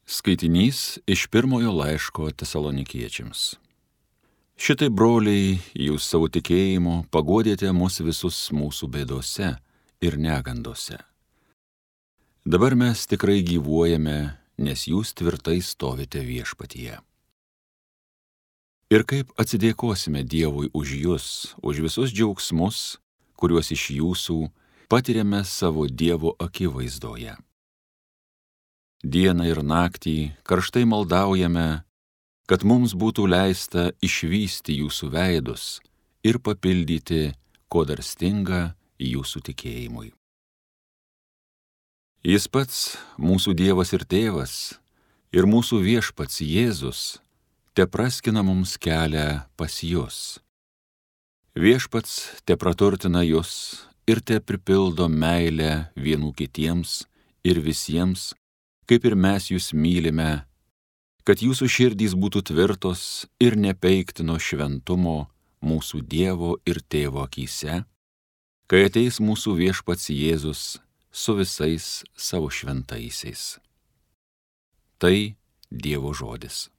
Skaitinys iš pirmojo laiško Tesalonikiečiams. Šitai, broliai, jūs savo tikėjimu paguodėte mus visus mūsų bėdose ir negandose. Dabar mes tikrai gyvuojame, nes jūs tvirtai stovite viešpatyje. Ir kaip atsidėkosime Dievui už jus, už visus džiaugsmus, kuriuos iš jūsų patiriame savo Dievo akivaizdoje. Dieną ir naktį karštai maldaujame, kad mums būtų leista išvysti jūsų veidus ir papildyti, ko dar stinga jūsų tikėjimui. Jis pats, mūsų Dievas ir Tėvas, ir mūsų viešpats Jėzus, te praskina mums kelią pas jus. Viešpats te praturtina jus ir te pripildo meilę vienų kitiems ir visiems, kaip ir mes jūs mylime, kad jūsų širdys būtų tvirtos ir nepeiktino šventumo mūsų Dievo ir Tėvo akyse, kai ateis mūsų viešpats Jėzus su visais savo šventaisiais. Tai Dievo žodis.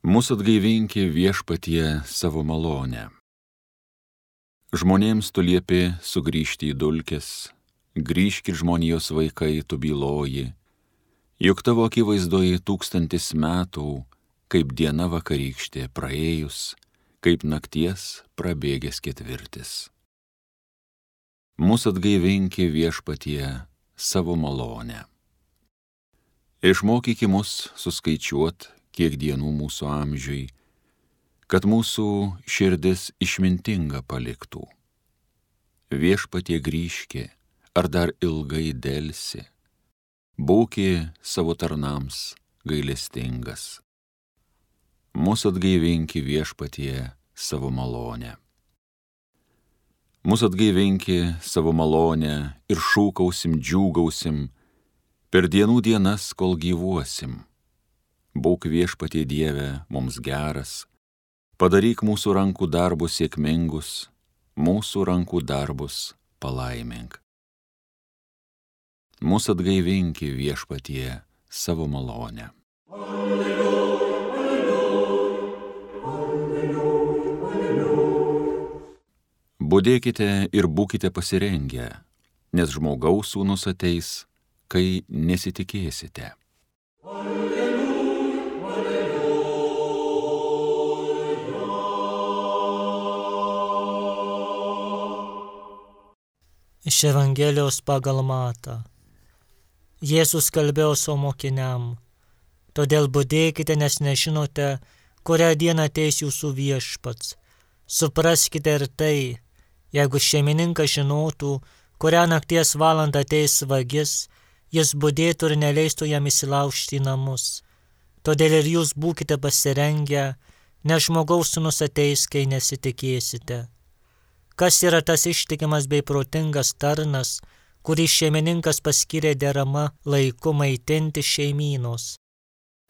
Mūsų atgaivinki viešpatie savo malonę. Žmonėms tu liepi sugrįžti į dulkes, grįžkit žmonijos vaikai, tu byloji, juk tavo akivaizdoje 1000 metų, kaip diena vakarykštė praėjus, kaip nakties prabėgęs ketvirtis. Mūsų atgaivinki viešpatie savo malonę. Išmokyki mus suskaičiuot, kiek dienų mūsų amžiui, kad mūsų širdis išmintinga paliktų. Viešpatie grįžki, ar dar ilgai delsi, būki savo tarnams gailestingas. Mūsų atgaivinki viešpatie savo malonę. Mūsų atgaivinki savo malonę ir šūkausim, džiūgausim per dienų dienas, kol gyvuosim. Būk viešpatie Dieve mums geras, padaryk mūsų rankų darbus sėkmingus, mūsų rankų darbus palaimink. Mūsų atgaivinki viešpatie savo malonę. Alleluja, alleluja, alleluja, alleluja. Budėkite ir būkite pasirengę, nes žmogaus sūnus ateis, kai nesitikėsite. Iš Evangelijos pagal Matą. Jėzus kalbėjo savo mokiniam, todėl budėkite, nes nežinote, kurią dieną ateis jūsų viešpats. Supraskite ir tai, jeigu šeimininkas žinotų, kurią nakties valandą ateis vagis, jis budėtų ir neleistų jam įsilaužti į namus. Todėl ir jūs būkite pasirengę, nes žmogaus sūnus ateis, kai nesitikėsite. Kas yra tas ištikimas bei protingas tarnas, kurį šeimininkas paskyrė derama laiku maitinti šeimynos?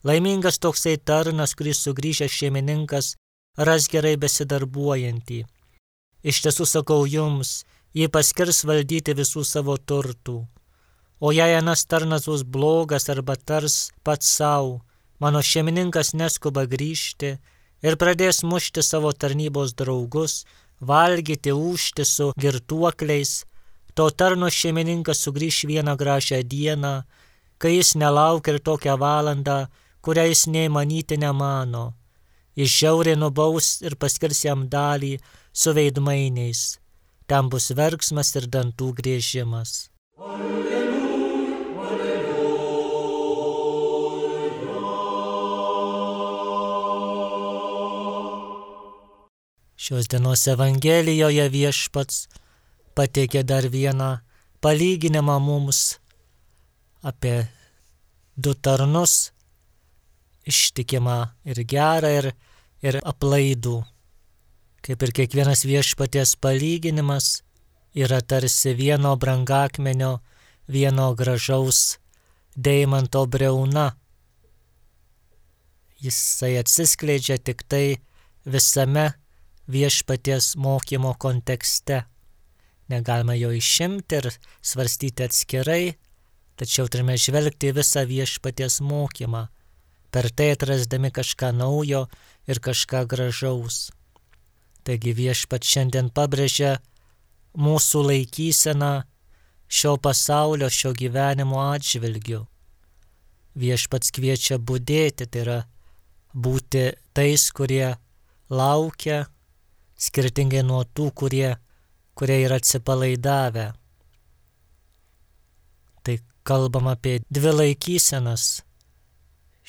Laimingas toksai tarnas, kuris sugrįžęs šeimininkas ras gerai besidarbuojantį. Iš tiesų sakau jums, jį paskirs valdyti visų savo turtų. O jei anas tarnas bus blogas arba tars pats savo, mano šeimininkas neskuba grįžti ir pradės mušti savo tarnybos draugus, valgyti, ūžti su girtuokliais, to tarno šeimininkas sugrįš vieną gražią dieną, kai jis nelaukia ir tokią valandą, kurią jis nei manyti nemano. Jis žiauriai nubaus ir paskirs jam dalį su veidmainiais. Ten bus verksmas ir dantų griežimas. Alleluja, alleluja. Šios dienos Evangelijoje viešpats pateikė dar vieną palyginimą mums apie 2 tarnus, ištikimą ir gerą ir aplaidų. Kaip ir kiekvienas viešpaties palyginimas yra tarsi vieno brangakmenio, vieno gražaus deimanto briauna. Jisai atsiskleidžia tik tai visame viešpaties mokymo kontekste. Negalima jo išimti ir svarstyti atskirai, tačiau turime žvelgti visą viešpaties mokymą, per tai atrasdami kažką naujo ir kažką gražaus. Taigi viešpats šiandien pabrėžia mūsų laikyseną šio pasaulio, šio gyvenimo atžvilgiu. Viešpats kviečia budėti, tai yra būti tais, kurie laukia, skirtingai nuo tų, kurie yra atsipalaidavę. Tai kalbam apie dvi laikysenas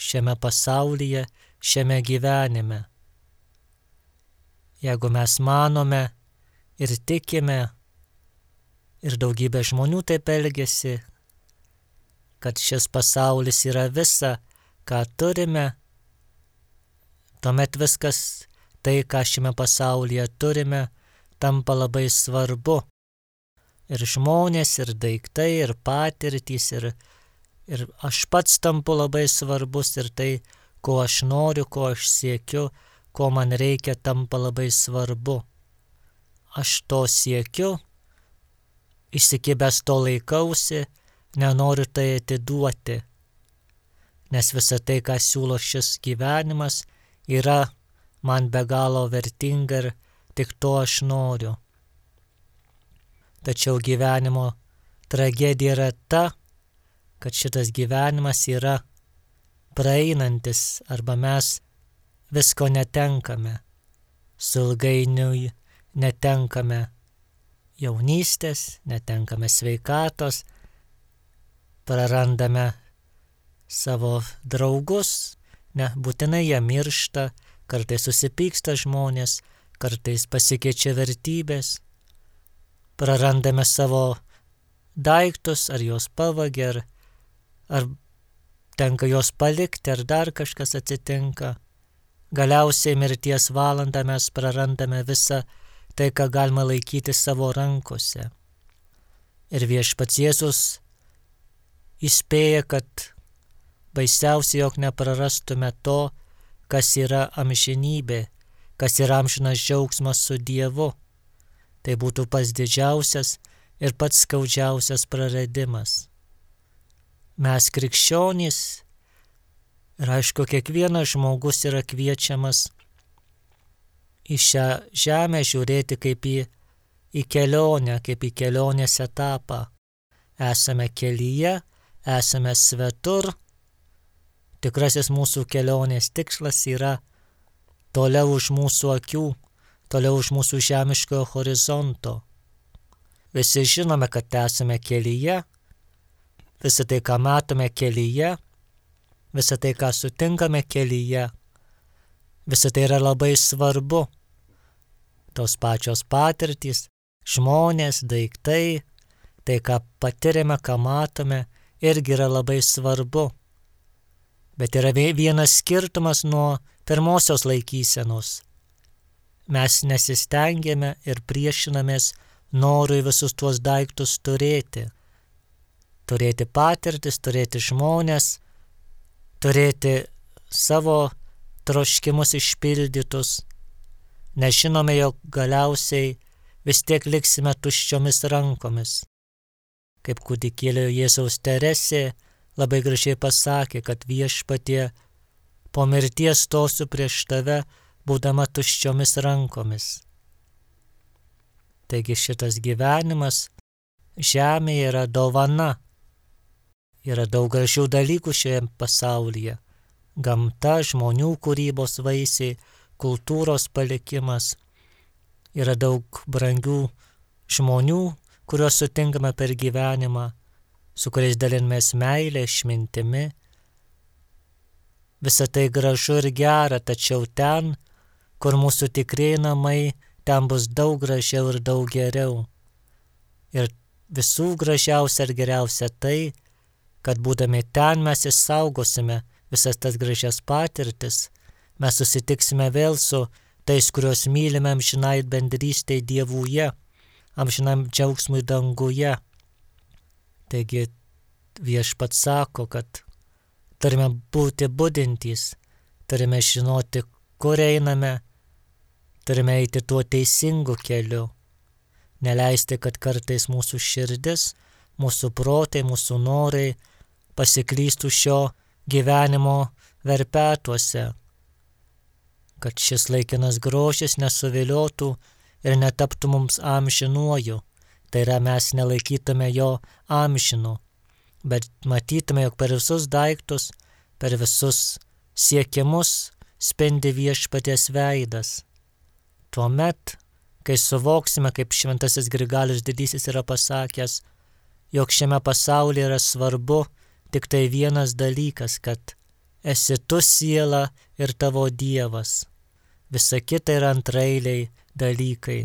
šiame pasaulyje, šiame gyvenime. Jeigu mes manome ir tikime, ir daugybė žmonių taip elgiasi, kad šis pasaulis yra visa, ką turime, tuomet viskas tai, ką šiame pasaulyje turime, tampa labai svarbu. Ir žmonės, ir daiktai, ir patirtys, ir aš pats tampu labai svarbus, ir tai, ko aš noriu, ko aš siekiu, ko man reikia, tampa labai svarbu. Aš to siekiu, įsikibęs to laikausi, nenoriu tai atiduoti, nes visa tai, ką siūlo šis gyvenimas, yra man be galo vertinga ir tik to aš noriu. Tačiau gyvenimo tragedija yra ta, kad šitas gyvenimas yra praeinantis arba mes visko netenkame. Ilgainiui netenkame jaunystės, netenkame sveikatos, prarandame savo draugus, nebūtinai jie miršta, kartais susipyksta žmonės, kartais pasikeičia vertybės, prarandame savo daiktus, ar juos pavagia, ar tenka juos palikti, ar dar kažkas atsitinka. Galiausiai mirties valandą mes prarandame visą tai, ką galima laikyti savo rankose. Ir viešpats Jėzus įspėja, kad baisiausia, jog neprarastume to, kas yra amžinybė, kas yra amžinas džiaugsmas su Dievu. Tai būtų pats didžiausias ir pats skaudžiausias praradimas. Mes krikščionys, ir aišku, kiekvienas žmogus yra kviečiamas į šią žemę žiūrėti kaip į kelionę, kaip į kelionės etapą. Esame kelyje, esame svetur. Tikrasis mūsų kelionės tikslas yra toliau už mūsų akių, toliau už mūsų žemiškojo horizonto. Visi žinome, kad esame kelyje, visą tai, ką matome kelyje, visą tai, ką sutinkame kelyje, visą tai yra labai svarbu. Tos pačios patirtys, žmonės, daiktai, tai, ką patiriame, ką matome, irgi yra labai svarbu. Bet yra vienas skirtumas nuo pirmosios laikysenos. Mes nesistengėme ir priešinamės norui visus tuos daiktus turėti. Turėti patirtis, turėti žmonės, turėti savo troškimus išpildytus. Nežinome, jog galiausiai vis tiek liksime tuščiomis rankomis. Kaip kūdikėlio Jėzaus Teresė labai gražiai pasakė, kad viešpatie, po mirties stosiu prieš tave, būdama tuščiomis rankomis. Taigi šitas gyvenimas žemėje yra dovana. Yra daug gražių dalykų šioje pasaulyje. Gamta, žmonių kūrybos vaisiai, kultūros palikimas. Yra daug brangių žmonių, kuriuos sutinkame per gyvenimą, su kuriais dalinamės meilę, išmintimi. Visa tai gražu ir gera, tačiau ten, kur mūsų tikrieji namai, ten bus daug gražiau ir daug geriau. Ir visų gražiausia ir geriausia tai, kad būdami ten mes išsaugosime visas tas gražias patirtis, mes susitiksime vėl su tais, kuriuos mylime amžinai bendrystėj Dievuje, amžinam džiaugsmui danguje. Taigi Viešpats sako, kad turime būti budintys, turime žinoti, kur einame, turime eiti tuo teisingu keliu, neleisti, kad kartais mūsų širdis, mūsų protai, mūsų norai pasiklystų šio gyvenimo verpetuose, kad šis laikinas grožis nesuviliotų ir netaptų mums amžinuoju, tai yra mes nelaikytume jo amžinu, bet matytume, jog per visus daiktus, per visus siekimus spindi Viešpaties veidas. Tuomet, kai suvoksime, kaip šventasis Grigalius Didysis yra pasakęs, jog šiame pasaulyje yra svarbu tik tai vienas dalykas, kad esi tu siela ir tavo Dievas. Visa kita yra antraeiliai dalykai.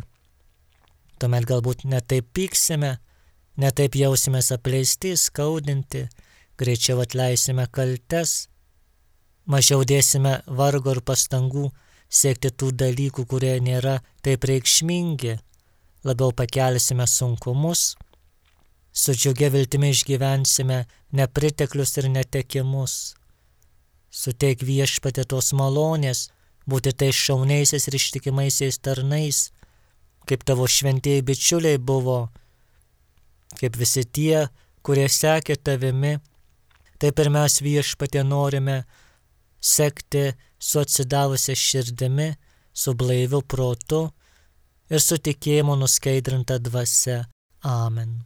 Tuomet galbūt netaip pyksime, netaip jausimės apleisti, skaudinti, greičiau atleisime kaltes, mažiau dėsime vargo ir pastangų siekti tų dalykų, kurie nėra taip reikšmingi, labiau pakelsime sunkumus, su džiugia viltimi išgyvensime nepriteklius ir netekimus. Suteik Viešpatie tos malonės, būti tais šauniaisiais ir ištikimaisiais tarnais, kaip tavo šventieji bičiuliai buvo, kaip visi tie, kurie sekė tavimi, taip ir mes Viešpatie norime sekti su atsidavusia širdimi, su blaiviu protu ir su tikėjimu nuskaidrinta dvasia. Amen.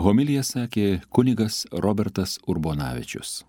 Homiliją sakė kunigas Robertas Urbonavičius.